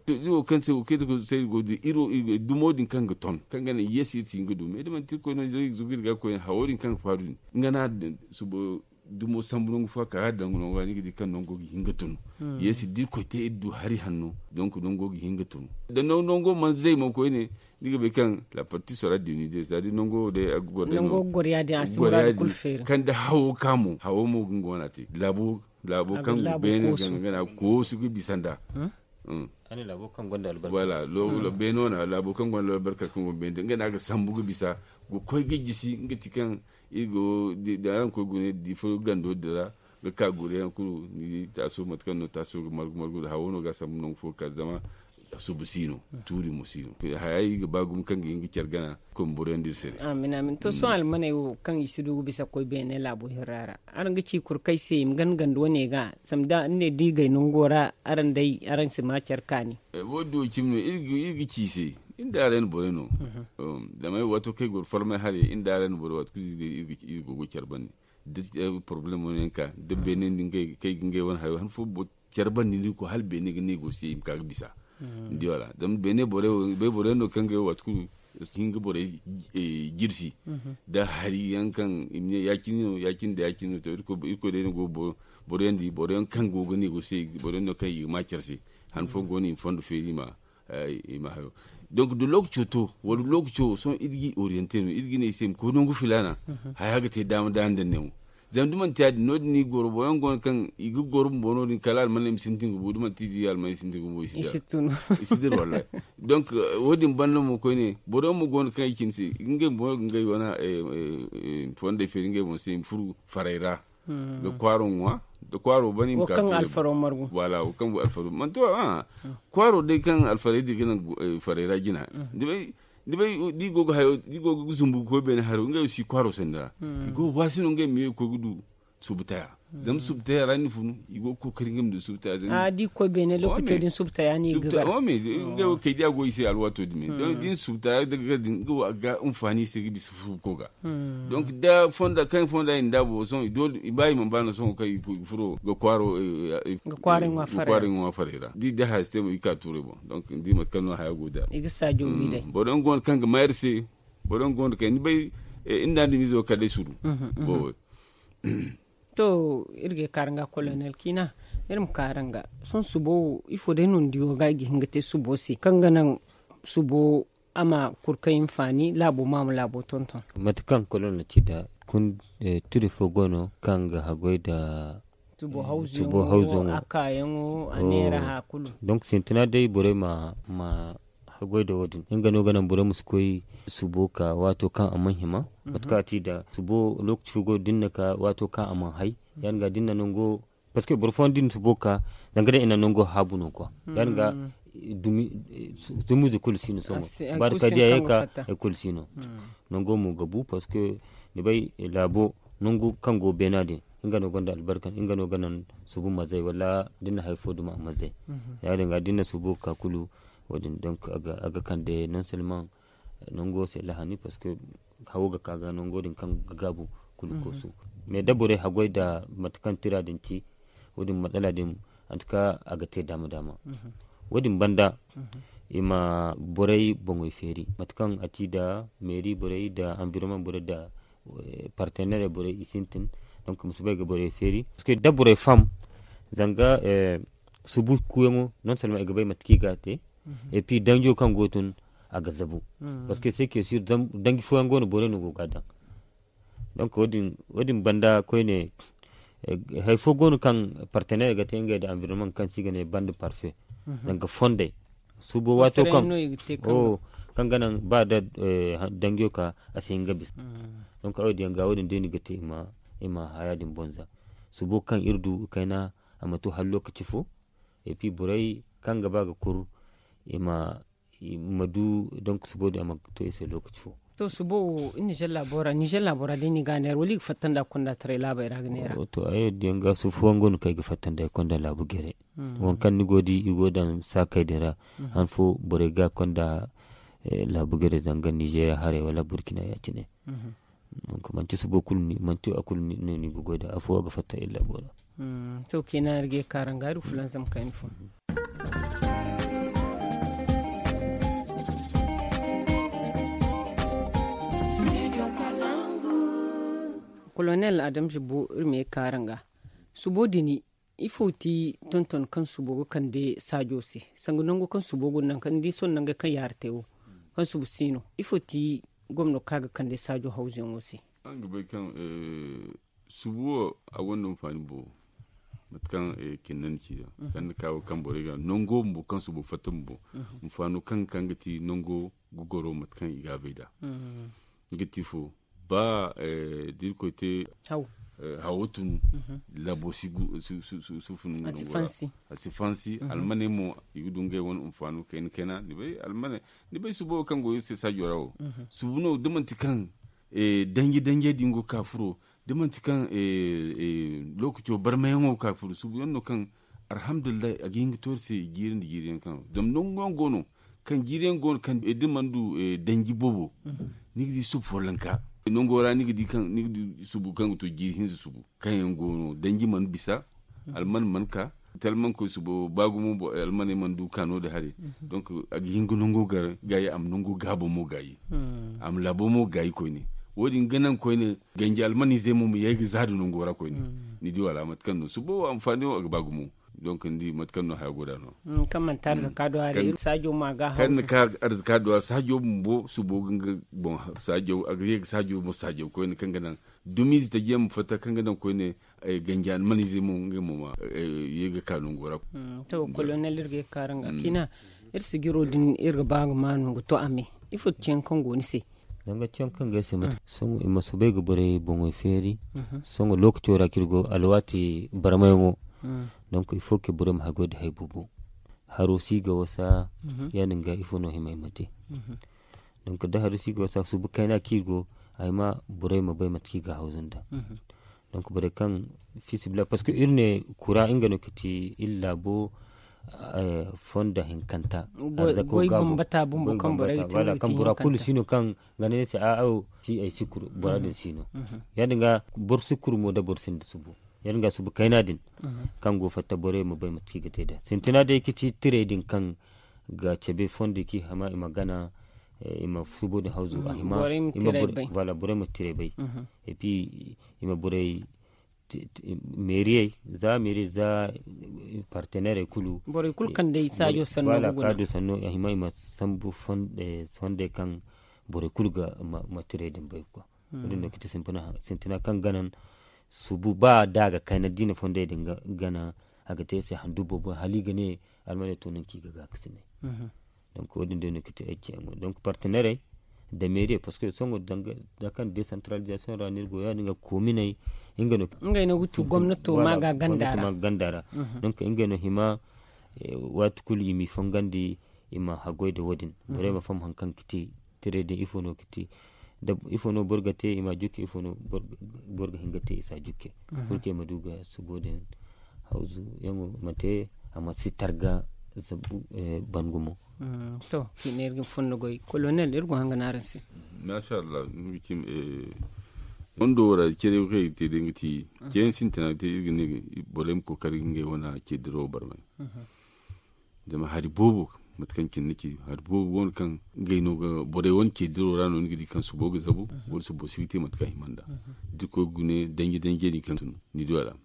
Iri wo kaŋ se wo kay da koy se iri go du iri wo dumo din kaŋ ga ton kaŋ ga naŋ yeesi iri si hin ga du me da manti iri koy no zogiri ga koy hawo din kaŋ ga faaru din nga no a din subo. Dumo sambu nangu fo ka ga daŋ nango ra ni ga di kaŋ nango ga hin ga tunu. Yeesi da irkoy te iri du hari hanno, donk nango ga hin ga tunu. Da nango mana zay mo koyne, ni ga bay kaŋ la parti sora dinu day za da nango day a ga goro day no. Kaŋ da hawo ka mo hawo mo ga nga wana te laabo kaŋ go beene gana gana koosu ga bisa nda. Beeno na laabo kaŋ gonda albarka kaŋ go beene da nga no a ga sambu ga bisa ga koy ga jisi nga ti kaŋ iri go da araŋ koy gune da ifo gando din ra ga ka gure yaŋ kulu ni di taaso mate kaŋ no taaso ga margu margu da hawo no ga a sambu nangu fo ga ka zama subu si no. Tuuri mo si no haya iri ga ba gumo kaŋ ga hin ga care gana. Koy ma boro yaŋ da iri se day. Amin amin to sohõ almaney wo kaŋ i si du ga bisa ga koy beene laabo hirra ra araŋ ga ci kurkay se i ma gana ganda wane ga zama da ni ne da i gay nango ra araŋ day araŋ si ma care kaani. Wo- din wo cimi no iri ga ci i se. Iri nda araŋ borey no. Zama ay waato kaŋ ay goro farmay haray iri nda araŋ borey waati kulu iri go ga care bande da porobalemo no yaŋ ka da beene din kaŋ ay ga ngey wane hayo han fo care bande ni ga koy hala beene ga ne go se i ma ka ga bisa. Ni di wala zama beene borey wo bay borey no kaŋ ga ay waati kulu hin ga borey jirsi da hari yaŋ kaŋ i ma ne ya- cine no ya- cine da ya- cine no to irkoy day no go ga boro yaŋ di boro yaŋ kaŋ go ga ne go se boro yaŋ no kaŋ i ga ma care se han fo go no i ma fondo feeri i ma hayo. Donk da lookaco to wala lookaco wo sohõ iri ga i oriyante no iri ga ne i se i ma koy nangu filaana. Haya ga te daama daama nda neewo zama da manti ya- din no- din no i ga goro boro yaŋ go no kaŋ i ga goro bumbo no- din kala almaney ma sintin ga bu da manti i di almaney sintin ga bu i si dir wallahi. Donk wo- din banda mo koyne boro yaŋ mo go no kaŋ ay cine se ngey bumbo no ga ngey wane fondey feeri ngey boŋ se i ma furu faray ra ga kwaaro ŋwa da kwaaro bane i ma ka kaŋ alfaro margu. Wala wo kaŋ go alfaro manti wo kwaaro day kaŋ alfaray din ga naŋ faray ra jina. Ni bay da i go ga hayo da i go ga zumbu ga koy beene hayo ngey wo si kwaaro sanda ra. I go ga waasi no ngey ma ye ga koy ga du subtaya zama subtaya ra ni funu i go ga kookari ngey ma du subtaya zama da i koy beene lookaco din subtaya no i ga gar. Ngey wo kay da a go i se alwaato din me da ni subtaya daga gar din ngey wo a ga ga anfaani i se ga bisa subuko ga. Donk da fonda kaŋ fonda i na da boro sohõ i doole i ba i mana ba no sohõ kaŋ i furo ga kwaaro ga kwaaro i ŋwa faray ra da i da haya si te mo i ka tuuray boŋ donk ni di mate kaŋ no haya go da. Boro yaŋ go no kaŋ ga mayar se boro yaŋ go no kaŋ ni bay inda ni mizo kala day suru. Boobo. To iri ga ay kaara nga kolonel kiina iri ma kaara nga sohõ subo wo ifo day no ni di wo ga i ga hin ga te subo se kaŋ ga naŋ subo a ma kurkay hinfaani laabo ma a ma laabo tonton. Mate kaŋ kolonel ci nda kun turi fo go no kaŋ ga haggoy nda subo hawzo a kaayaŋo a neera haya kulu. Donk sintina day borey ma haggoy nda wo- din nga no ga naŋ borey ma si koy subo ka waato kaŋ a mana hima. Mate kaŋ a ci nda subo lookaci fo go no da ni na ka waato kaŋ a mana hay ya- din ga da ni na nango parceque boro fooyaŋ da i na subo ka zanga day i na nango haabu no kwa ya- din ga dumiize kulu si no sohõ ba da kay da ya ye ka ay kulu si no. Nango mo ga bu parceque ni bay laabo nangu kaŋ go beena din nga no gonda albarka nga no ga naŋ subu mazay wala da ni na hari fo duma a mazay. Ya- din ga da ni na subo ka kulu wo- din donk a ga kande non seulement nango se lahani parceque hawo ga ka ga nango din kaŋ ga gaabu kulu koosu. Mais da borey haggoy nda mate kaŋ tira din ci wo- din matsala din antuka a ga te daama daama. Wo- din banda i ma borey boŋey feeri mate kaŋ a ci nda meeri borey nda environnement borey nda partenaire borey i sintin. Donk i ma si bay ga borey feeri parceque da borey faham zanga subu kuuyaŋo non seulement i ga bay mate kaŋ i ga a te. Et puis danjo kaŋ go tun a ga zabu. Parceque c'est que sur danji fooyaŋ go no borey no go ga a daŋ. Donc wo- din banda koyne hari fo go no kaŋ partenaire ga te ngey nda environnement kaŋ se i ga ne bande parfait. Danga fondey subo waato kaŋ ga naŋ ba da danjo ka a si hin ga bisa. Donc a wo- din yaŋ ga wo- din day no i ga te i ma haya din bonza subo kaŋ iri du kayna a ma to hari lokaci fo. Et puis borey kaŋ ga ba ga kur i ma du donc subo din a ma to i se lokaci fo. To subo wo niger laabo ra niger laabo ra day no i ga a neera wala i ga fatta nda kondataray laabey ra ga neera? To ay wo- din yaŋ ga subo fooyaŋ go no kaŋ ay ga fatta nda ay konda laabu gere. Waŋ kaŋ ni go di i go daŋ saakey din ra han fo borey ga konda laabu gere zanga nigeria haray wala burkina ya- cine. Donc manti subo kulu manti a kulu no ni ga goy da afo a ga fatta iri laabo ra. To kina iri ga ye kaara nga iri ga fulanzam kayna fo. Kolonel adamze bo iri ma ye kaara nga subo dini. Ifo ti tonton kaŋ subo ga kande saajo se? Sanga nango kaŋ subo go naŋ kaŋ ni di sohõ nangey kaŋ yaara te wo, kaŋ subu si no ifo ti gomno kaŋ a ga kande saajo hawzuyaŋo se? Araŋ ga bay kaŋ subu wo a gonda hinfaani boobo. Mate kaŋ kinna ni ci yaŋ kaŋ ni ka wo kaŋ borey ga nango bumbo kaŋ subo fatta bumbo, hinfaano kaŋ ga ti nango ga goro mate kaŋ i ga a bay nd'a. Nga ti fo ba da irkoy te hawo tun, labo si fun a si fansi. Almaney mo i ga du ngey wane hinfaano kayna kayna ni bay subo wo kaŋ go iri se saajo ra wo. Subu no da manti kaŋ danji danjey din go ga ka furo da manti kaŋ lookaco barmayaŋo ga ka furo subu yaŋ no kaŋ alhamdulillahi a ga hin ga to iri se i jiiri nda jiiri yaŋ kaŋ zama nangu yaŋ go no kaŋ jiiri yaŋ go no kaŋ da ni mana du danji boobo. Ni ga di subu follanka nango ra ni ga di kaŋ ni ga di subu kaŋ ga to jiiri hinza subu kaŋ yaŋ go no danji mana bisa. Alman mana ka talman koy subo ba gumo almaney mana du ka no- din haray. Donk a ga hin ga nango gar gaayi a ma nango gaabo mo gaayi a ma laabo mo gaayi koyne. Wo- din ga naŋ koyne ganji almanizey mo ma ye ga za nda nango ra koyne. Ni di wala mate kaŋ no subo wo anfaani wo a ga ba gumo. Donk ni di mate kaŋ no haya go nd'a no kaŋ manti arzaka do a ra iri saajo ma ga haw kaŋ ni ka arzaka do a saajo bumbo subo ga nga boŋ saajo a ga ye ga saajo mo saajo koyne kaŋ ga naŋ dumiize taji yaŋ ma fatta kaŋ ga naŋ koyne ganji almanizey mo ngey mo ma ye ga ka nango ra. To kolonel iri ga ye ga kaara nga kiina iri sijiro din iri ga ba ga ma no ga to a me. Ifo ti yaŋ kaŋ go ni se? Danga ti yaŋ kaŋ ga ay se mate sohõ i ma soobay ga borey boŋey feeri. Sohõ lookaco ra kaŋ iri go alwaati barmayaŋo. Donk il faut que borey ma haggoy nda hari boobo. Haro si ga wasa ya- din ga ifo no hima i ma te? Donk da haro si ga wasa subu kayna kaŋ iri go a hima borey ma bay mate kaŋ i ga hawzu nda. Donk borey kaŋ fiisabilillahi parceque iri ne kura nga no ga ti iri laabo fonda hinkanta. Arzako goy gaabo bambata bumbo kaŋ borey ga te nga ga ti hinkanta. Bora kulu si no kaŋ ga ne ni se a'a wo si ay si kuru bora din si no. Ya- din ga boro si kuru mo da boro sinda subu ya- din ga subu kayna din kaŋ go fatta borey ma bay mate kaŋ i ga te nd'a sintina day ga ti tirey din kaŋ ga cabe fondo kaŋ i hima i ma gana i ma subo din hawzu a hima. Voilà borey ma tiray bay. Et puis i ma borey meeriyey za meeriyey za parteneerey kulu borey kulu kaŋ day saajo sanno ga guna. Kaado sanno a hima i ma sambu fondey kaŋ borey kulu ga ma tiray din bay quoi. Wo- din no ga ti sintina kaŋ ga naŋ subu ba da a ga kayna da i na fondey din gana a ga te i se handu boobo hala i ga ne almaney to nangu kaŋ i ga gaakasinay. Donc wo- din day no ga ti ay ciyaŋo donc parteneerey nda meeriyey parceque sohõ danga kaŋ decentralisation ra no iri go ya- din ga kominey nga no ngey no ga tu gomnato ma ga ganda ra. Donc ngey no hima waati kulu i m'i fongandi i ma haggoy nda wo- din borey ma faham hari kaŋ ga ti tirey din ifo no ga ti ifo no boro ga te i ma jukke ifo no boro ga hin ga te i si a jukke. Kulu kaŋ i ma du ga subo din hawzu yaŋo ma te a ma si targa zabu ban gumo. To kaŋ i ne iri ga ni fonda goy kolonel iri go hanga no araŋ se. Masha Allah ni ga cim fondo wo ra care wo kaŋ i ga te day ga ti ceeyaŋ sintina ga te iri ga ne borey ma kookari ga ngey wane ceediro barmay. Zama hari boobo mate kaŋ cine ni ci hari boobo go no kaŋ ngey no ga borey wane ceediro ra no ni ga di kaŋ subo ga zabu wala subo si ga te mate kaŋ a hima nd'a. Da iri koy gune danji danji din kaŋ tun ni di wala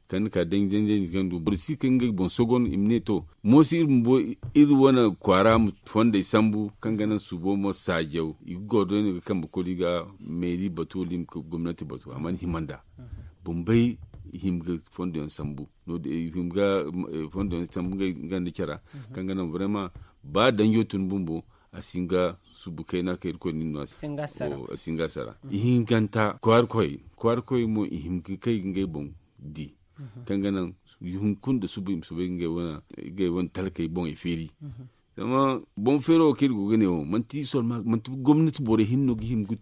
kaŋ ni ka danji danji din kaŋ du boro si ga ngey boŋ sogon i ma ne to moosi iri bumbo iri wane kwaara ma fondey sambu kaŋ ga naŋ subo mo saajaw i ga goro day no ga kambe kulu i ga meeri batu wala i ma gomnati batu a mana hima nd'a. Bumbey i hima ga fondo yaŋ sambu no- din i hima ga fondo yaŋ sambu ngey ganda care ra kaŋ ga naŋ vraiment ba danjo tun bumbo a si hin ga subu kayna kaŋ irkoy nin no a si hin ga a sara. I hinkanta kwaarikoy kwaarikoy mo i hima ga kay ga ngey boŋ di kaŋ ga naŋ hunkuna nda subu i ma soobay ga ngey wane talkey boŋey feeri. Zama boŋ feero wo kaŋ iri go ga ne wo manti gomnati borey hinne no ga hima ga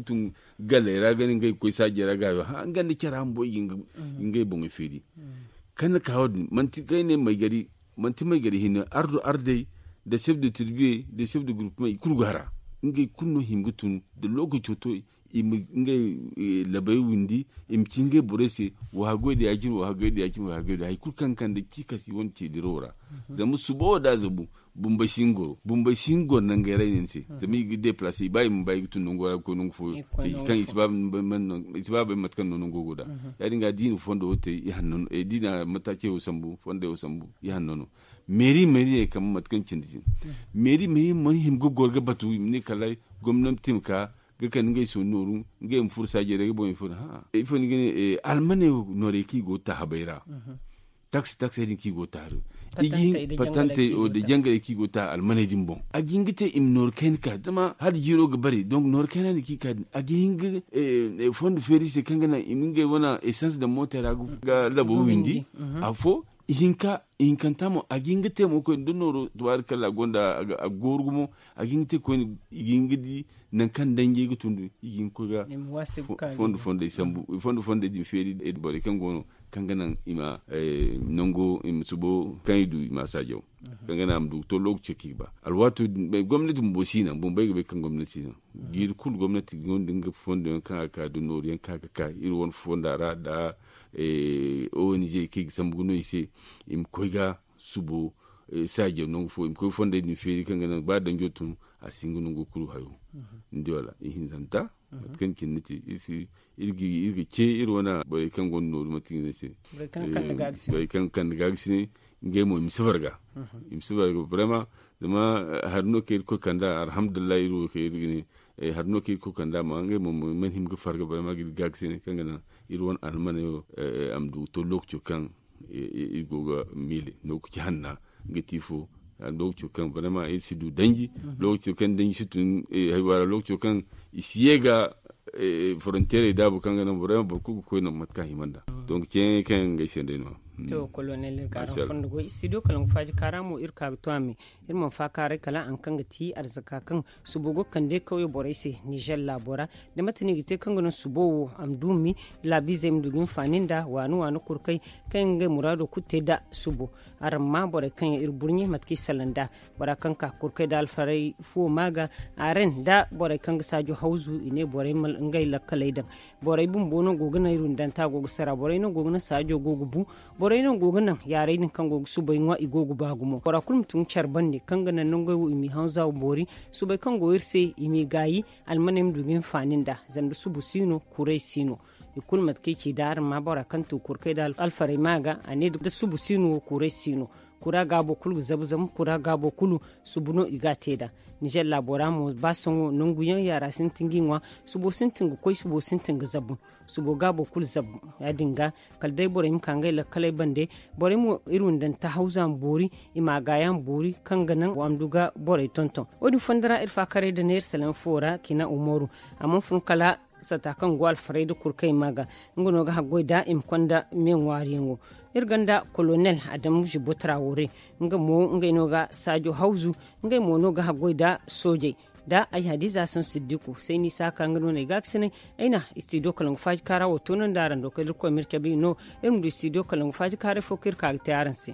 tun galley ra ga ne ngey ga koy saajey ra ga hayo ha nga nda care bumbo i ga ngey boŋey feeri. Kaŋ ni ka wo- din manti kaŋ ay ne maygari manti maygari hinne ardo ardey nda chef de tribuyey nda chef de groupement i kulu go a ra. Ngey kulu no hima ga tun da lookaco to i i ma ngey labay windi, i ma ci ngey borey se. Wa haggoy da ya-cine, wa haggoy da ya-cine, wa haggoy da hari kulu kaŋ ga kande ciikas i wane ceedirawo ra. Zama suba wo da a zabu, bumbey si hin goro bumbey si hin goro nangey ra i ne ni se. Zama i ga deplace i ba i ma ba i ga tun nango ra ga koy nangu fo, kaŋ i si ba bay mate kaŋ no nango go da. Ya- din ga da i na fondo wo te, da i na mataace wo sambu fondey wo sambu, i hanno no. Meeri meeri ne kambe mate kaŋ cindi cine. Meeri meeri mana hima ga goro ga batu i ma ne kala gomnati ma ka ga kande ngey sooni nooru, ngey ma furo saajey ra ga boŋ i furo. Ifo ni ga ne? Almaney wo noorey kaŋ i go ga ta habey ra. Taksi taksey din kaŋ i go ga ta hari, i ga hin patantey wo da jangarey kaŋ i go ga ta almaney din boŋ, a ga hin ga te i ma nooru kayna ka zama hala jiiro ga bare donk nooru kayna din kaŋ i ka din a ga hin ga fondo feeri se kaŋ ga naŋ i ma ngey wane esans daŋ mootey ra ga labo windi. Afo ihinkanta mo a ga hin ga te mo koyne da nooro tubaari kalla gonda a ga gooru gumo. A ga hin ga te koyne i ga hin ga di nangu kaŋ danjey ga tundu i ga hin ga koy ga fondo fondey sambu fondo fondey din feeri borey kaŋ go no kaŋ ga naŋ i ma nango i ma subo kaŋ i du i ma a saajaw kaŋ ga naŋ a ma du ga to lookaco kaŋ i ga ba. Alwaato din gomnati bumbo si naŋ bumbey ga bay kaŋ gomnati si naŋ jiiri kulu gomnati gonda nga fondo yaŋ kaŋ a ga ka da nooru yaŋ kaŋ a ga ka iri wane fonda ra da ong kaŋ i ga sambu ga no i se i ma koy ga subo saajo nangu fo i ma koy fondey din feeri kaŋ ga naŋ ba danjo tun a si hin ga nango kulu hayo. Ni di wala ihinzanta mate kaŋ cine ni te iri ga ce iri wane borey kaŋ gonda nooru manti ga ne se borey kaŋ ga kande ga ga sine ngey mo i ma si farga. I ma si farga brema zama hari no kaŋ iri koy kanda alhamdulillahi iri wo kaŋ iri ga ne hari no kaŋ iri koy kanda amma ngey mo i mana hima ga farga brema ga iri ga ga sine kaŋ ga naŋ iri wane almaney wo a ma du ga to lookaco kaŋ iri go ga miile lookaci hanna ga ti fo lookaco kaŋ brema iri si du danji lookaco kaŋ danji si tun haywaara lookaco kaŋ i si ye ga forontiyerey daabu kaŋ ga naŋ brema boro kulu ga koy naŋ mate kaŋ a hima nd'a. Donk ceeyaŋey kaŋ yaŋ ga ay se day no-ya. To kolonel iri ga araŋ fondo goy studio kala nga faaji kaara mo iri ka ga to a me. Iri mana faakaaray kala a nga kaŋ ga ti arzaka kaŋ subo go ga kande kawye borey se nizer laabo ra. Da mate no i ga te kaŋ ga naŋ subo wo a ma du ma mi laabiizey ma du ga hinfaani nd'a waani waani kurkey kaŋ yaŋ ga ngey muraado kulu te nda subo. Araŋ ma borey kaŋ yaŋ iri burɲe mate kaŋ i salaŋ nd'a bora kaŋ ka kurkey nda alfarey fuwo ma ga. Aren nda borey kaŋ ga saajo hawzu i ne borey ma ngey lakkaley daŋ. Borey bumbo no go ga naŋ iri windanta go ga sara borey no go ga naŋ saajo go ga bu. Borey no go ga naŋ yaarey din kaŋ go ga subay ŋwa i go ga ba gumo bora kulu ma tun care bande kaŋ ga naŋ nangey wo i m'i hanza boori. Subay kaŋ go iri se i m'i gaayi almaney ma du ga hinfaani nd'a zama da subu si no kuray si no. I kulu mate kaŋ i ci da araŋ ma bora kaŋ tu kurkey da alfarey ma ga a ne da subu si no kuray si no. Kura gaabo kulu ga zabu zama kura gaabo kulu subu no i ga a te nd'a. Nizer laabo ra mo ba sohõ nangu yaŋ yaara sintin ga i ŋwa. Subo sintin ga koy subo sintin ga zabu. Subo gaabo kulu zabu ya- din ga kala day borey ma ka ngey lakkaley bande. Borey mo iri windanta hawza ma boori i ma a gaaya ma boori kaŋ ga naŋ wa ma du ga borey tonton. Wo- din fondo ra iri faakaray nda neera salaŋ fo ra kina umaru. A mana fun kala sata kaŋ go alfarey nda kurkey ma ga nga no ga haggoy nd'a i ma konda me ŋwaariyaŋo. Iri gonda kolonel adamu zibo tarawore nga mo ngey no ga saajo hawzu. Ngey mo no ga haggoy nda soojey nda ay hadiza son siddiku sayni saaka nga no no ay ga ga sinay. Ay na studio kala nga faaji kaara wo toonandi araŋ do kala irkoy ma iri cabe i no. Iri ma du studio kala nga faaji kaaray fo kaŋ iri ka ga te araŋ se.